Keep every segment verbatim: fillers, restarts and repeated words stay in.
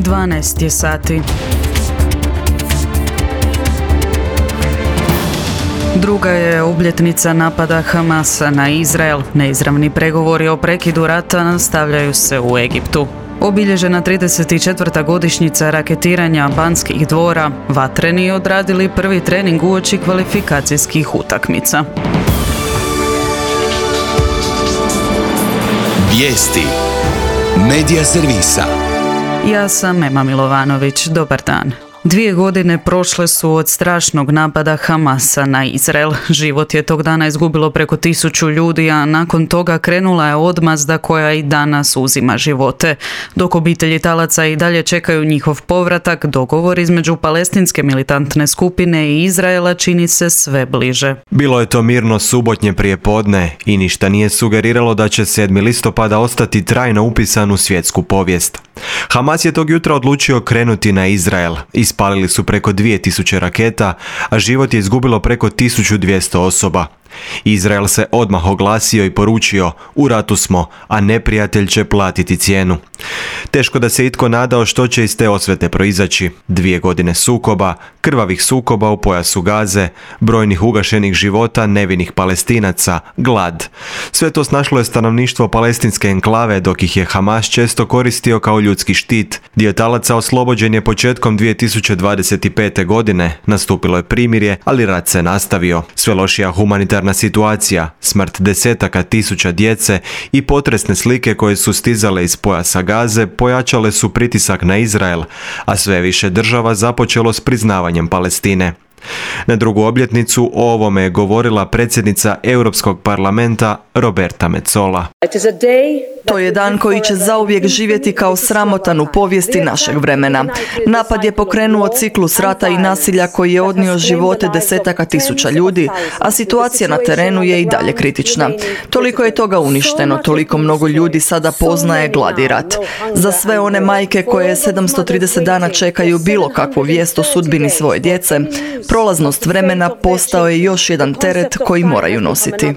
dvanaest je sati. Druga je obljetnica napada Hamasa na Izrael. Neizravni pregovori o prekidu rata nastavljaju se u Egiptu. Obilježena trideset četvrta godišnjica raketiranja Banskih dvora, vatreni odradili prvi trening uoči kvalifikacijskih utakmica. Vijesti Medija servisa. Ja sam Ema Milovanović. Dobar dan. Dvije godine prošle su od strašnog napada Hamasa na Izrael. Život je tog dana izgubilo preko tisuću ljudi, a nakon toga krenula je odmazda koja i danas uzima živote. Dok obitelji talaca i dalje čekaju njihov povratak, dogovor između palestinske militantne skupine i Izraela čini se sve bliže. Bilo je to mirno subotnje prijepodne i ništa nije sugeriralo da će sedmog listopada ostati trajno upisan u svjetsku povijest. Hamas je tog jutra odlučio krenuti na Izrael. Ispalili su preko dvije tisuće raketa, a život je izgubilo preko tisuću dvjesto osoba. Izrael se odmah oglasio i poručio: u ratu smo, a neprijatelj će platiti cijenu. Teško da se itko nadao što će iz te osvete proizaći. Dvije godine sukoba, krvavih sukoba u pojasu Gaze, brojnih ugašenih života nevinih Palestinaca, glad. Sve to snašlo je stanovništvo palestinske enklave, dok ih je Hamas često koristio kao ljudski štit. Dio talaca oslobođen je početkom dvije tisuće dvadeset pete. godine, nastupilo je primirje, ali rat se nastavio. Sve lošija humanitarna situacija, smrt desetaka tisuća djece i potresne slike koje su stizale iz pojasa Gaze pojačale su pritisak na Izrael, a sve više država započelo s priznavanjem Palestine. Na drugu obljetnicu o ovome je govorila predsjednica Europskog parlamenta Roberta Metsola. To je dan koji će zauvijek živjeti kao sramotan u povijesti našeg vremena. Napad je pokrenuo ciklus rata i nasilja koji je odnio živote desetaka tisuća ljudi, a situacija na terenu je i dalje kritična. Toliko je toga uništeno, toliko mnogo ljudi sada poznaje glad i rat. Za sve one majke koje sedamsto trideset dana čekaju bilo kakvu vijest o sudbini svoje djece, prolaznost vremena postao je još jedan teret koji moraju nositi.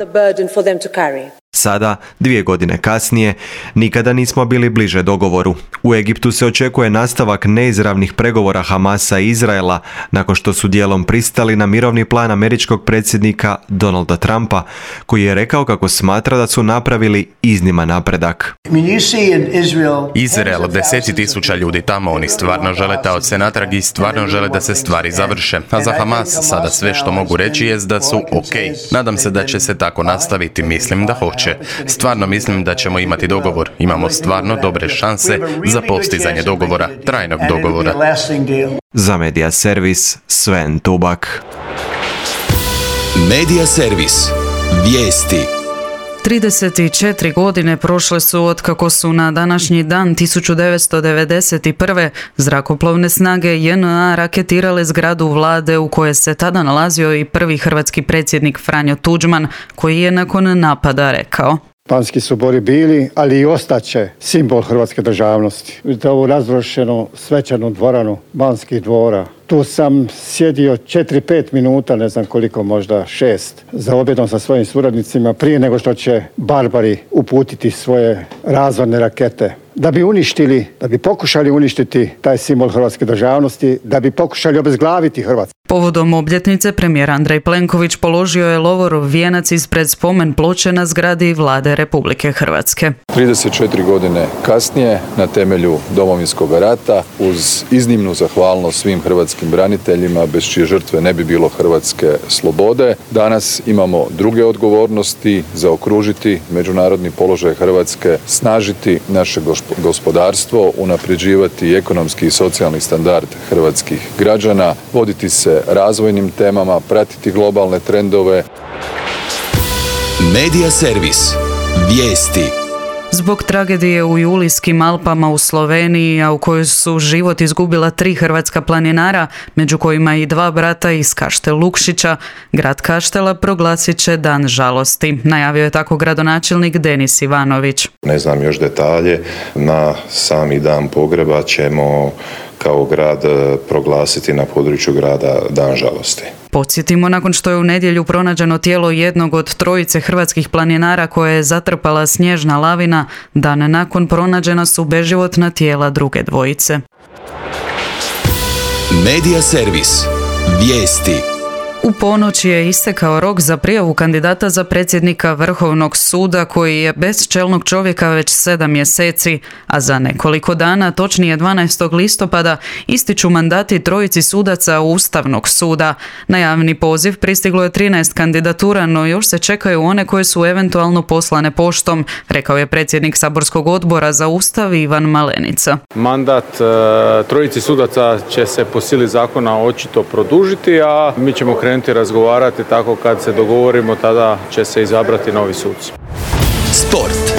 Sada, dvije godine kasnije, nikada nismo bili bliže dogovoru. U Egiptu se očekuje nastavak neizravnih pregovora Hamasa i Izraela nakon što su dijelom pristali na mirovni plan američkog predsjednika Donalda Trumpa, koji je rekao kako smatra da su napravili izniman napredak. Izrael, deseti tisuća ljudi tamo, oni stvarno žele taoce natrag i stvarno žele da se stvari završe. A za Hamas sada sve što mogu reći jest da su ok. Nadam se da će se tako nastaviti, mislim da hoće. Stvarno mislim da ćemo imati dogovor. Imamo stvarno dobre šanse za postizanje dogovora, trajnog dogovora. Za Medija servis, Sven Tubak. Medija servis. Vijesti. trideset četiri godine prošle su otkako su na današnji dan tisuću devetsto devedeset prve. zrakoplovne snage J N A raketirale zgradu vlade u kojoj se tada nalazio i prvi hrvatski predsjednik Franjo Tuđman, koji je nakon napada rekao: Banski su dvori bili, ali i ostaće simbol hrvatske državnosti. Vidite ovu razrušenu svečanu dvoranu Banskih dvora. Tu sam sjedio četiri pet minuta, ne znam koliko, možda šest, za objedom sa svojim suradnicima prije nego što će barbari uputiti svoje razorne rakete. Da bi uništili, da bi pokušali uništiti taj simbol hrvatske državnosti, da bi pokušali obezglaviti Hrvatsku. Povodom obljetnice premijer Andrej Plenković položio je lovorov vijenac ispred spomen ploče na zgradi vlade Republike Hrvatske. trideset četiri godine kasnije, na temelju Domovinskog rata, uz iznimnu zahvalnost svim hrvatskim braniteljima, bez čije žrtve ne bi bilo hrvatske slobode, danas imamo druge odgovornosti: zaokružiti međunarodni položaj Hrvatske, snažiti naše gospodarstvo, unapređivati ekonomski i socijalni standard hrvatskih građana, voditi se razvojnim temama, pratiti globalne trendove. Medija servis. Vijesti. Zbog tragedije u Julijskim Alpama u Sloveniji, a u kojoj su život izgubila tri hrvatska planinara, među kojima i dva brata iz Kaštel Lukšića, grad Kaštela proglasit će dan žalosti. Najavio je tako gradonačelnik Denis Ivanović. Ne znam još detalje, na sami dan pogreba ćemo kao grad proglasiti na području grada dan žalosti. Podsjetimo, nakon što je u nedjelju pronađeno tijelo jednog od trojice hrvatskih planinara koje je zatrpala snježna lavina, dan nakon pronađena su beživotna tijela druge dvojice. Medija servis. Vijesti. U ponoć je istekao rok za prijavu kandidata za predsjednika Vrhovnog suda koji je bez čelnog čovjeka već sedam mjeseci, a za nekoliko dana, točnije dvanaestog listopada, ističu mandati trojici sudaca Ustavnog suda. Na javni poziv pristiglo je trinaest kandidatura, no još se čekaju one koje su eventualno poslane poštom, rekao je predsjednik saborskog odbora za Ustav Ivan Malenica. Mandat e, trojici sudaca će se po sili zakona očito produžiti, a mi ćemo krenuti razgovarati tako kad se dogovorimo, tada će se izabrati novi suci. Sport.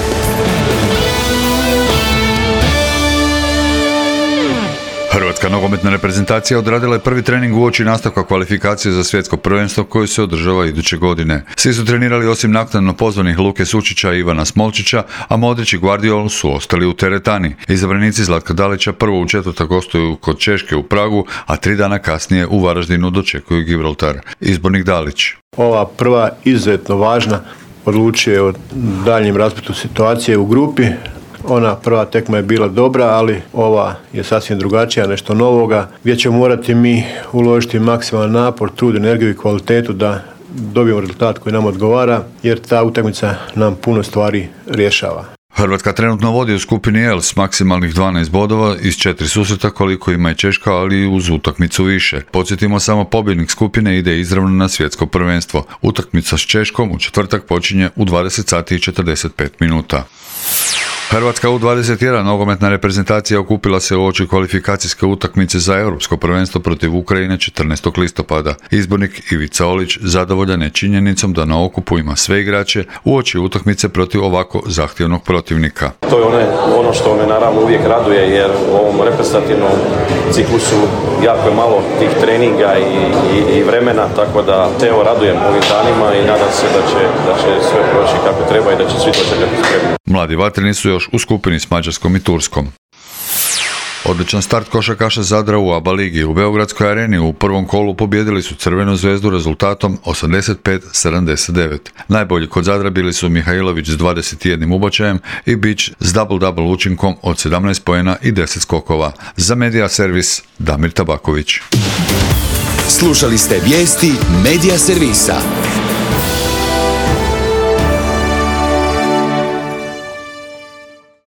Hrvatska nogometna reprezentacija odradila je prvi trening uoči nastavka kvalifikacije za svjetsko prvenstvo koje se održava iduće godine. Svi su trenirali osim naknadno pozvanih Luke Sučića i Ivana Smolčića, a Modrić i Guardiol su ostali u teretani. Izabranici Zlatka Dalića prvo u četvrtak gostuju kod Češke u Pragu, a tri dana kasnije u Varaždinu dočekuju Gibraltar. Izbornik Dalić. Ova prva izuzetno važna odlučuje o daljnjem raspletu situacije u grupi. Ona prva tekma je bila dobra, ali ova je sasvim drugačija, nešto novoga, gdje ćemo morati mi uložiti maksimalan napor, trud, energiju i kvalitetu da dobijemo rezultat koji nam odgovara, jer ta utakmica nam puno stvari rješava. Hrvatska trenutno vodi u skupini L s maksimalnih dvanaest bodova iz četiri susreta koliko ima i Češka, ali i uz utakmicu više. Podsjetimo samo, pobjednik skupine ide izravno na svjetsko prvenstvo. Utakmica s Češkom u četvrtak počinje u dvadeset sati i četrdeset pet minuta. Hrvatska U dvadeset jedan nogometna reprezentacija okupila se uoči kvalifikacijske utakmice za europsko prvenstvo protiv Ukrajine četrnaestog listopada. Izbornik Ivica Olić zadovoljan je činjenicom da na okupu ima sve igrače uoči utakmice protiv ovako zahtjevnog protivnika. To je one, ono što me naravno uvijek raduje, jer u ovom reprezentativnom ciklusu jako je malo tih treninga i, i, i vremena, tako da te evo radujem ovim danima i nadam se da će, da će sve proći kako treba i da će svi dočekati spremni. Mladi vatreni su još u skupini s Mađarskom i Turskom. Odličan start košarkaša Zadra u A B A ligi. U Beogradskoj areni u prvom kolu pobijedili su Crvenu zvezdu rezultatom osamdeset pet sedamdeset devet. Najbolji kod Zadra bili su Mihajlović s dvadeset jedan ubačajem i Bić s double-double učinkom od sedamnaest poena i deset skokova. Za Medija servis Damir Tabaković. Slušali ste vijesti Medija servisa.